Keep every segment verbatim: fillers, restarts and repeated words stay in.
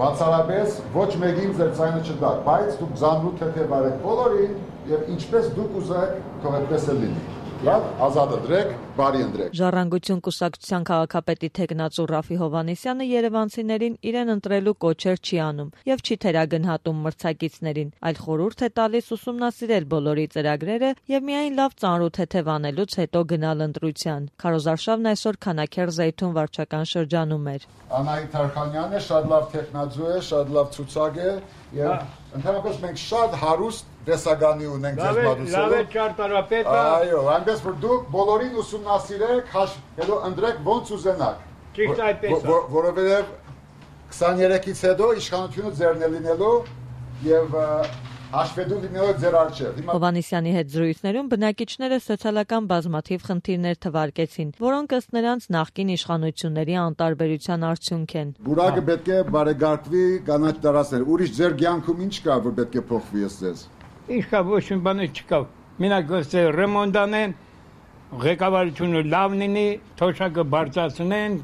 բացառապես ոչ մեկին ձեր ձայնը չտակ, բայց դուք զանրու թեթև արեք բոլորին եւ ինչպես դուք ուզեք, թող այդպես էլ լինի։ Լավ, ազատ ընտրեք, բարի ընտրեք։ Ժառանգություն կուսակցության քաղաքապետի թեկնածու Ռաֆի Հովհաննիսյանը երևանցիներին իրեն ընտրելու կոչեր չի անում եւ չի թերագնահատում մրցակիցներին, այլ խորհուրդ է տալիս ուսումնասիրել բոլորի ծրագրերը եւ միայն լավ ծանրու թեթև անելուց հետո գնալ ընտրության։ Քարոզարշավն այսօր Քանաքեռ Զեյթուն վարչական շրջանում էր։ Անահիտ Թարխանյանը շատ լավ տեխնատու է, շատ լավ ցուցակ է եւ ընդհանրապես մենք շատ հարուստ տեսագանի ունենք ձեզ մատուցելու։ Լավ է ճարտարապետը։ Այո, այնպես որ դուք բոլորին ուսումնասիրեք, հետո ընտրեք ոնց ուզենաք։ Ճիշտ այդպես է։ Որովհետեւ քսաներեքից հետո իշխանությունը ձեռն է լինելու եւ հաշվետու լինելով ձեր առջև։ Հովհաննիսյանի հետ զրույցներում բնակիչները սոցիալական բազմաթիվ խնդիրներ թվարկեցին, որոնք ըստ նրանց նախկին իշխանությունների անտարբերության արդյունք են։ Բուրակը պետք է բարեգործվի կանաչ տարածքներ։ Ուրիշ ձեր կյանքում ինչ կա, որ պետք է փոխվի ըստ։ Ինչ կա, ոչ մի բան չկա։ Մենակ գուցե ռեմոնտ անեն, ղեկավարությունը լավ լինի, թոշակը բարձրացնեն,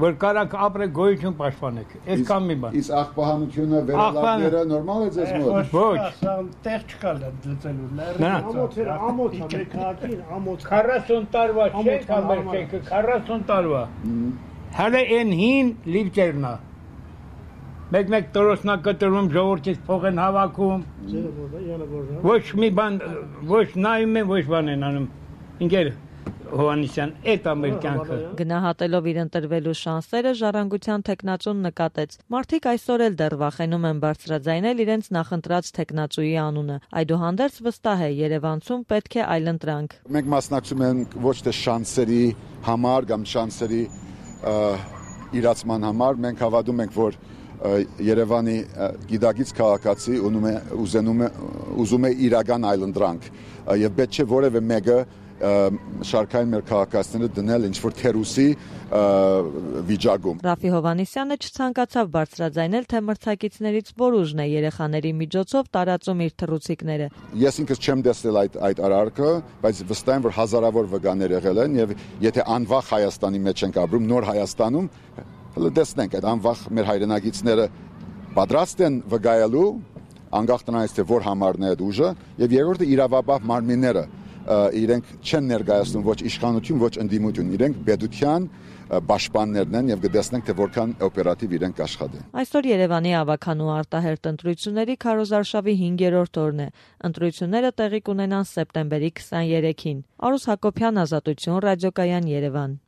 որ կարակ ապրե գոյություն պաշտպանեք։ Այդքան մի բան։ Իսկ աղբահանությունը վերելավները նորմալ է ձեզ մոտ։ Ոչ։ Տեղ չկա դծելու լեռը։ Ամոթը, ամոթը մեկակին, ամոթ քառասուն տարվա չենք ամեր չենք, քառասուն տարվա։ Հələ այն հին լիվճերն է։ Մեկ-մեկ տորոսնա կտրում ժողովրդից փող են հավաքում։ Ոչ մի բան, ոչ նայում են, ոչ բան են անում։ Ինքեր Հովհաննիսյան, այդ ամեր կյանքը։ Գնահատելով իր ընտրվելու շանսերը Ժառանգության թեկնածուն նկատեց. մարդիկ այսօր էլ դեռ վախենում են բարձրաձայնել իրենց նախընտրած թեկնածուի անունը։ Այդուհանդերձ վստահ է, Երևանցում պետք է այլընտրանք։ Մենք մասնակցում ենք ոչ թե շանսերի համար կամ շանսերի իրացման համար, մենք հավատում ենք, որ Երևանի գիտակից քաղաքացի ուզում է ուզում է իրական այլընտրանք եւ պետք չէ որևէ մեկը շարքային մեր քաղաքացիները դնել ինչ-որ թերուսի վիճակում։ Ռաֆի Հովհաննիսյանը չցանկացավ բարձրաձայնել, թե մրցակիցներից որ ուժն է երեխաների միջոցով տարածում իր թռուցիկները։ Ես ինքս չեմ տեսել այդ այդ արարքը, բայց վստահ եմ, որ հազարավոր վկաներ եղել են եւ եթե անվախ Հայաստանի մեջ ենք ապրում, նոր Հայաստանում, հələ տեսնենք այդ անվախ մեր հայրենագիտները պատրաստ են վկայելու անկախ տնայից թե որ համարն է այդ ուժը եւ երկրորդը իրավաբավ մարմինները իրենք չեն ներկայացնում ոչ իշխանություն, ոչ ընդդիմություն, իրենք պետության պաշտպաններն են եւ կտեսնենք թե որքան օպերատիվ իրենք աշխատեն։ Այսօր Երևանի ավականու արտահերտ ընտրությունների քարոզարշավի հինգերորդ օրն է։ Ընտրությունները տեղի կունենան սեպտեմբերի քսաներեքին։ Արուս Հակոբյան, Ազատություն, ռադիոկայան Երևան։